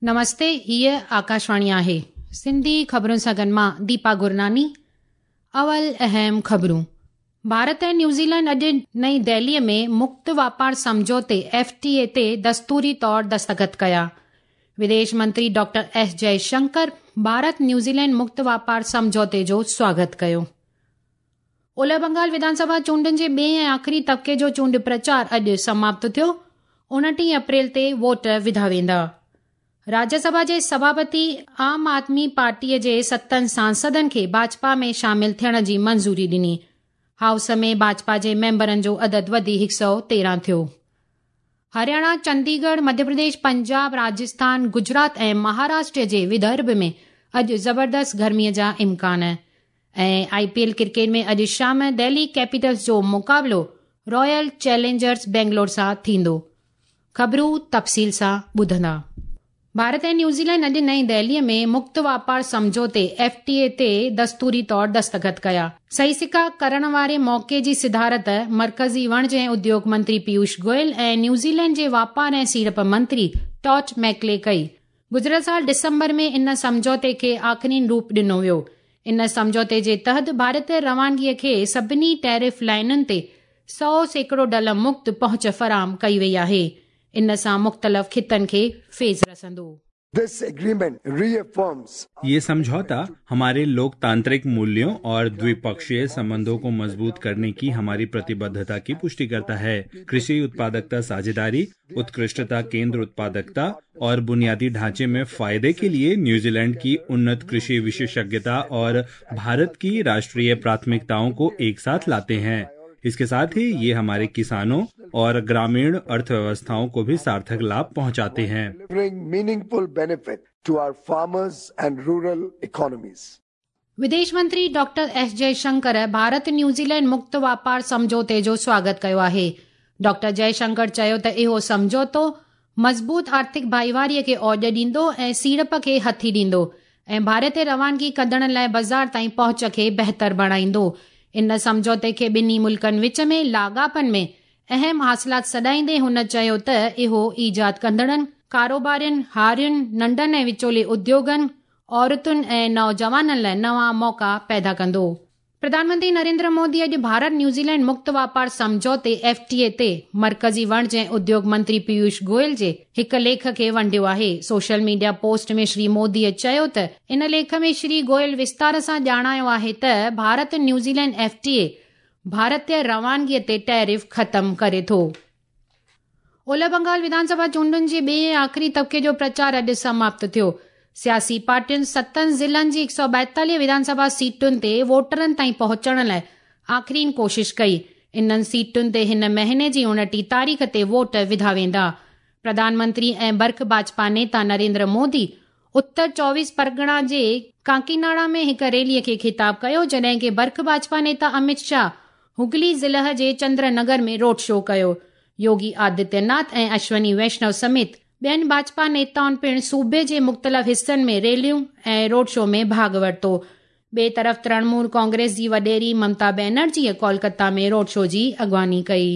نمستي، هيء آڪاشواڻي آهي. سنڌي خبرن سان گڏ مان ديپا گرناني. اول اهم خبرون. ڀارت ۽ نيوزيلينڊ اڄ نئين دهليء ۾ مڪت واپار سمجهوتي، ايف ٽي اي، تي دستوري طور دستخط ڪيا. وديش منتري doctor S Jaishankar Bharat New Zealand مڪت واپار سمجهوتي جو سواگت ڪيو. اولهه بنگال وڌان سڀا چونڊن جي ٻئي ۽ آخري طبقي جو چونڊ پرچار اڄ سماپت ٿيو. 29 اپريل تي ووٽ وڌا ويندا. راجيه سڀا جي سڀاپتي عام آدمي پارٽيء جي ستن سانسدن کي ڀاجپا ۾ شامل ٿيڻ جي منظوري ڏني. هائوس ۾ ڀاجپا جي ميمبرن جو عدد وڌي 113 ٿيو. هرياڻا، چنديڳڙهه، مڌيه پرديش، پنجاب، راجسٿان، گجرات ۽ مهاراشٽر جي ودرڀ ۾ اڄ زبردست گرميء جا امڪان. ۽ آء پي ايل ڪرڪيٽ ۾ اڄ شام دهلي ڪيپيٽلز جو مقابلو رائل چئلينجرز بينگلور سان ٿيندو. خبرون تفصيل سان ٻڌندا. ڀارت ۽ نيوزيلينڊ اڄ نئين دهليء ۾ مڪت واپار سمجهوتي، ايف ٽي اي، تي دستوري طور دستخط ڪيا. صحيح سڪا ڪرڻ واري موقعي جي صدارت مرڪزي وڻج ۽ اديوگ منتري پيوش گويل ۽ نيوزيلينڊ جي واپار ۽ سيڙپ منتري ٽاڊ ميڪلي ڪئي. گذريل سال ڊسمبر ۾ ان سمجهوتي کي آخرين روپ ڏنو ويو. ان سمجهوتي جي تحت ڀارتي روانگيء کي سڀني ٽيرف لائينن تي 100% ڍل مڪت پهچ فراهم ڪئي وئي آهي. ان سان مختلف خطن کي فيض رسندو. This agreement reaffirms ये समझौता हमारे लोकतांत्रिक मूल्यों और द्विपक्षीय संबंधों को मजबूत करने की हमारी प्रतिबद्धता की पुष्टि करता है। कृषि उत्पादकता साझेदारी, उत्कृष्टता केंद्र उत्पादकता और बुनियादी ढांचे में फायदे के लिए न्यूजीलैंड की उन्नत कृषि विशेषज्ञता और भारत की राष्ट्रीय प्राथमिकताओं को एक साथ लाते हैं। इसके साथ ही ये हमारे किसानों और ग्रामीण अर्थव्यवस्थाओं को भी सार्थक लाभ पहुंचाते हैं। delivering meaningful benefit to our farmers and rural economies. وديش منتري doctor S Jaishankar Bharat New Zealand مڪت واپار سمجهوتي جو سواگت ڪيو آهي. ڊاڪٽر جئشنڪر چيو ته اهو سمجهوتو مضبوط آرٿڪ ڀائيواريء کي اوڄ ڏيندو ۽ سيڙپ کي هٿي ڏيندو ۽ ڀارتي روانگي ڪندڙن لاء بازار تائين پهچ کي بهتر بڻائيندو. ان سمجهوتي کي ٻنهي ملڪن وچ ۾ لاڳاپن ۾ اهم حاصلات سڏائيندي هن چيو ته اهو ايجاد ڪندڙن، ڪاروبارين، هارين، ننڍن ۽ وچولي اديوگن، عورتن ۽ نوجوانن لاء نوان موقعا پيدا ڪندو. پرڌان منتري نريندر مودي اڄ ڀارت نيوزيلينڊ مڪت واپار سمجهوتي، ايف ٽي اي، تي مرڪزي وڻج ۽ اديوگ منتري پيوش گويل جي هڪ ليک کي ونڊيو آهي. سوشل ميڊيا پوسٽ ۾ شري موديء چيو ته ان ليک ۾ شري گويل وستار سان ڄاڻايو آهي ته ڀارت نيوزيلينڊ ايف ٽي اي ڀارتي روانگيء تي ٽيرف ختم ڪري ٿو. اولهه بنگال وڌان سڀا چونڊن جي ٻئي ۽ آخري طبقي جو پرچار اڄ سماپت ٿيو. سياسي پارٽين ستن ضلعن جي 142 وڌان سڀا سيٽن تي ووٽرن تائين پهچڻ لاء آخرين ڪوشش ڪئي. انهن سيٽن تي هن مهيني جي 29 تاريخ تي ووٽ وڌا ويندا. پرڌان منتري ۽ برک ڀاجپا نيتا نريندر مودي اتر 24 پرڳڻا جي ڪاڪيناڙا ۾ هڪ ريليء کي خطاب ڪيو، جڏهن ڪه برک ڀاجپا نيتا امت شاهه هگلي ضلع جي چندر نگر ۾ روڊ شو ڪيو. يوگي آدتيه ناٿ ۽ اشوني ويشنو سميت ٻين ڀاجپا نيتائن پڻ صوبي جي مختلف حصن ۾ ريليون ۽ روڊ شو ۾ ڀاڳ ورتو. ٻئي طرف ترڻمول ڪانگريس جي وڏيري ممتا بينرجيء ڪولڪتا ۾ روڊ شو جي اڳواڻي ڪئي.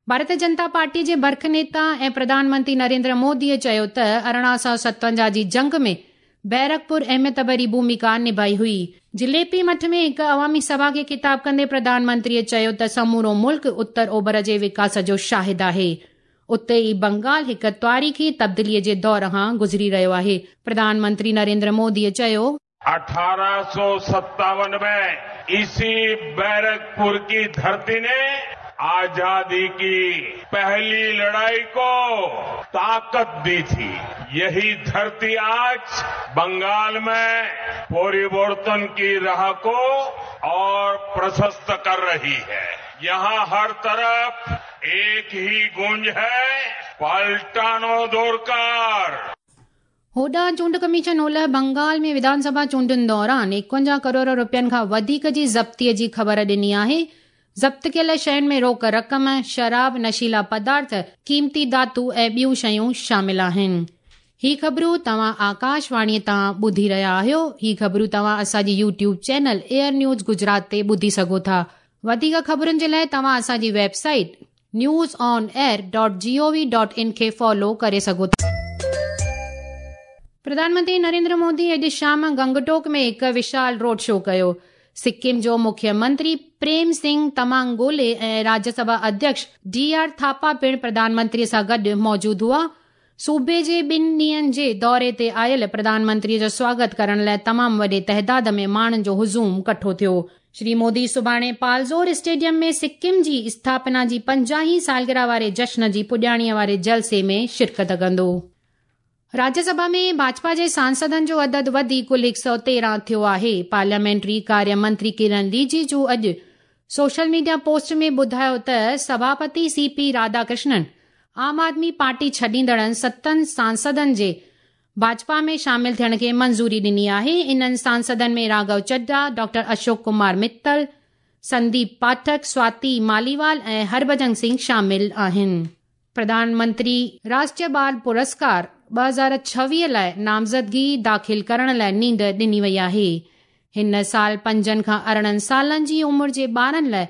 ڀارتيه جنتا پارٽيء جي برک نيتا ۽ پرڌان منتري نريندر موديء چيو ته 1857 جي جنگ ۾ بيرڪپور اهميت ڀري ڀوميڪا نڀائي هئي. جليپي مٺ ۾ هڪ عوامي سڀا کي خطاب ڪندي پرڌان منتريء چيو ته سمورو ملڪ اتر اوڀر جي وڪاس جو شاهد آهي. اتي ئي بنگال هڪ تاريخي تبديليء جي دور کان گذري رهيو آهي. پرڌان منتري نريندر موديء چيو. 1857 में इसी बैरकपुर की धरती ने आजादी की पहली लड़ाई को ताकत दी थी। यही धरती आज बंगाल में परिवर्तन की राह को और प्रशस्त कर रही है। यहां हर तरफ एक ही गूंज है, पलटानो दरकार। هوڏانهن چونڊ ڪميشن اولهه بنگال ۾ وڌان سڀا چونڊن دوران 51 ڪروڙ رپين کان وڌيڪ جي ضبطيء جي خبر ڏني آهي. ضبط ڪيل شين ۾ روڪ رقم، شراب، نشيلا پدارٿ، قيمتي ڌاتو ۽ ٻيون شيون شامل آهن. هي خبرون توهان آڪاش واڻيء تان ٻڌي رهيا آهيو. هي خبرون توهان اسان جي YouTube channel air news Gujarat تي ٻڌي سگهو ٿا. وڌيڪ خبرن جي لاء توهان اسان جي website news on air dot G O V dot in کي فالو ڪري سگهو ٿا. प्रधानमंत्री नरेंद्र मोदी अॼु शाम गंगटोक में हिकु विशाल रोड शो कयो। सिक्किम जो मुख्यमंत्री प्रेम सिंह तमांग गोले ऐं राज्यसभा अध्यक्ष डी आर थापा पिणु प्रधानमंत्रीअ सां गॾु मौजूदु हुआ। सूबे जे ॿिनि ॾींहंनि जे दौरे ते आयल प्रधानमंत्रीअ जो स्वागत करण लाइ तमामु वॾे तइदाद में माण्हुनि जो हुजूम कठो थियो। श्री मोदी सुभाणे पालजोर स्टेडियम में सिक्किम जी स्थापना जी 50वीं सालगिरह वारे जश्न जी पुॼाणीअ वारे जलसे में शिरकत कंदो। राज्यसभा में भाजपा जे सांसदनि जो अदद वधी कुल 113 थियो आहे। पार्लियामेंट्री कार्य मंत्री किरण रिजिजू अॼु सोशल मीडिया पोस्ट में ॿुधायो त सभापति सीपी राधाकृष्णन आम आदमी पार्टी छॾींदड़नि 7 सांसदनि जे भाजपा में शामिल थियण खे मंज़ूरी ॾिनी आहे। इन्हनि सांसदनि में राघव चड्ढा, डॉक्टर अशोक कुमार मित्तल, संदीप पाठक, स्वाति मालीवाल ऐं हरभजन सिंह शामिल आहिनि। प्रधानमंत्री राष्ट्रीय बाल पुरस्कार 2026 लाइ नामज़दगी दाख़िल करण लाइ नींद ॾिनी वई आहे। हिन साल 5 खां 18 सालनि जी उमिरि जे ॿारनि लाइ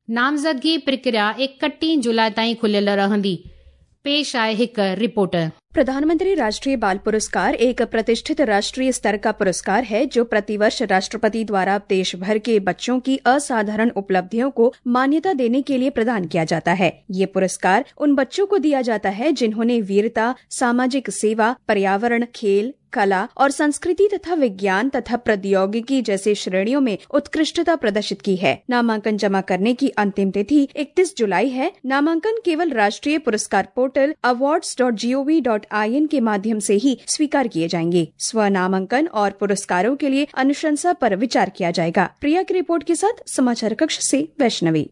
नामज़दगी प्रक्रिया 31 जुलाई ताईं खुलियल रहंदी। पेश आहे हिकु रिपोर्ट। प्रधानमंत्री राष्ट्रीय बाल पुरस्कार एक प्रतिष्ठित राष्ट्रीय स्तर का पुरस्कार है जो प्रतिवर्ष राष्ट्रपति द्वारा देश भर के बच्चों की असाधारण उपलब्धियों को मान्यता देने के लिए प्रदान किया जाता है। ये पुरस्कार उन बच्चों को दिया जाता है जिन्होंने वीरता, सामाजिक सेवा, पर्यावरण, खेल, कला और संस्कृति तथा विज्ञान तथा प्रौद्योगिकी जैसे श्रेणियों में उत्कृष्टता प्रदर्शित की है। नामांकन जमा करने की अंतिम तिथि 31 जुलाई है। नामांकन केवल राष्ट्रीय पुरस्कार पोर्टल awards.gov.in के माध्यम से ही स्वीकार किए जाएंगे। स्व नामांकन और पुरस्कारों के लिए अनुशंसा पर विचार किया जाएगा। प्रिया की रिपोर्ट के साथ समाचार कक्ष से वैष्णवी।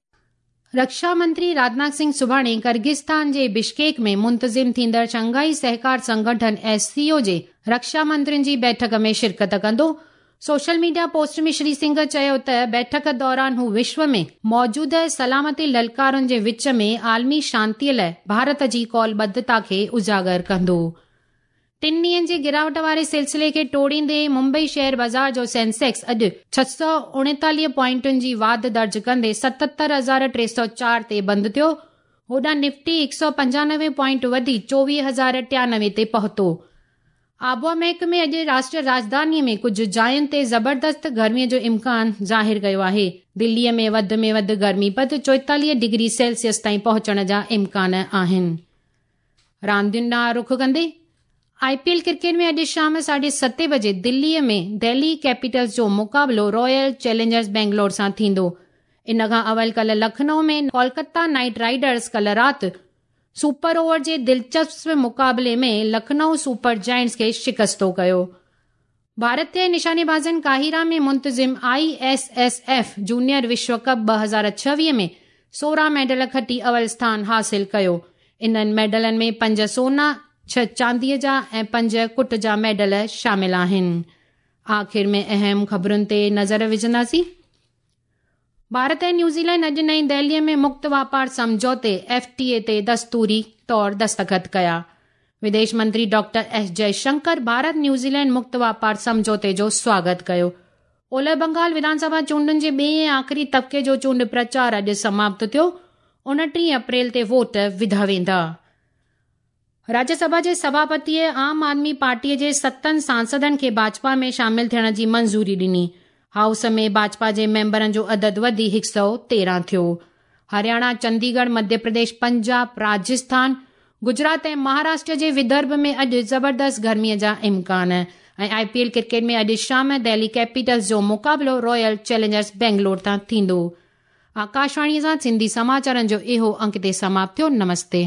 रक्षा मंत्री राजनाथ सिंह सुभाणे किर्गिस्तान जे बिश्केक में मुंतज़िम थींदड़ शंघाई सहकार संगठन एससीओ जे रक्षा मंत्रियुनि जी बैठक में शिरकत कंदो। सोशल मीडिया पोस्ट में श्री सिंह चयो त बैठक दौरान हू विश्व में मौजूदा सलामती ललकारुनि जे विच में आलमी शांतीअ लाइ भारत जी कौलबद्धता खे उजागर कंदो। 3 ॾींहंनि जी गिरावट वारे सिलसिले खे टोड़ींदे मुंबई शेयर बाज़ार जो सेंसेक्स अॼु 639 पॉइंटुनि जी वाध दर्ज कंदे 77,304 ते बंदि थियो। होॾां निफ्टी 195 पॉइंट वधी 24,093 ते पहुतो। आबोहवा महकमे अॼु राष्ट्रीय राजधानीअ में कुझु जायुनि ते ज़बरदस्त गर्मीअ जो इम्कान ज़ाहिर कयो आहे। दिल्लीअ में वधि गर्मी पद 44 डिग्री सेल्सियस ताईं पहुचण जा इम्कान आहिनि। रांदियुनि ॾांहुं रुख कंदे आईपीएल क्रिकेट में अॼु शाम 7:30 बजे दिल्लीअ में दिल्ली कैपिटल्स जो मुक़ाबिलो रॉयल चैलेंजर्स बेंगलोर सां थींदो। इन खां अवल कल लखनऊ में कोलकाता नाइट राइडर्स कल राति सुपर ओवर जे दिलचस्प मुक़ाबले में लखनऊ सुपर जायंट्स खे शिकस्तो कयो। भारतीय निशानेबाज़नि काहिरा में मुंतज़िम ISSF junior विश्व कप 2026 में 16 मेडल खटी अवल स्थान हासिल कयो। इन्हनि मेडलनि में 5 सोना, 6 चांदीअ जा ऐं 5 कुट जा मेडल शामिल आहिनि। आख़िर में अहम ख़बरुनि ते नज़र विझंदासीं। भारत ऐं न्यूज़ीलैंड अॼु नई दिल्लीअ में मुक्त वापार सम्झौते FTA ते दस्तूरी तौर दस्तख़त कया। विदेश मंत्री doctor S Jaishankar Bharat New Zealand मुक्त वापार सम्झौते जो स्वागत कयो। ओलह बंगाल विधानसभा चूंडुनि जे ॿिए ऐं आख़िरी तबिके जो चूंड प्रचार अॼु समाप्त थियो। 29 अप्रैल ते वोट विधा वेंदा। राज्यसभा जे सभापतीअ आम आदमी पार्टीअ जे 7 सांसदनि खे भाजपा में शामिल थियण जी मंज़ूरी ॾिनी। हाउस में भाजपा जे मेंबरनि जो अदद वधी 113 थियो। हरियाणा, चंडीगढ़, मध्य प्रदेश, पंजाब, राजस्थान, गुजरात ऐं महाराष्ट्र जे विदर्भ में अॼु ज़बरदस्त गर्मीअ जा इम्कान। ऐं IPL cricket में अॼु शाम दिल्ली कैपिटल्स जो मुक़ाबिलो रॉयल चैलेंजर्स बेंगलोर तां थींदो। आकाशवाणीअ सां सिंधी समाचारनि जो इहो अंक ते समाप्त थियो। नमस्ते।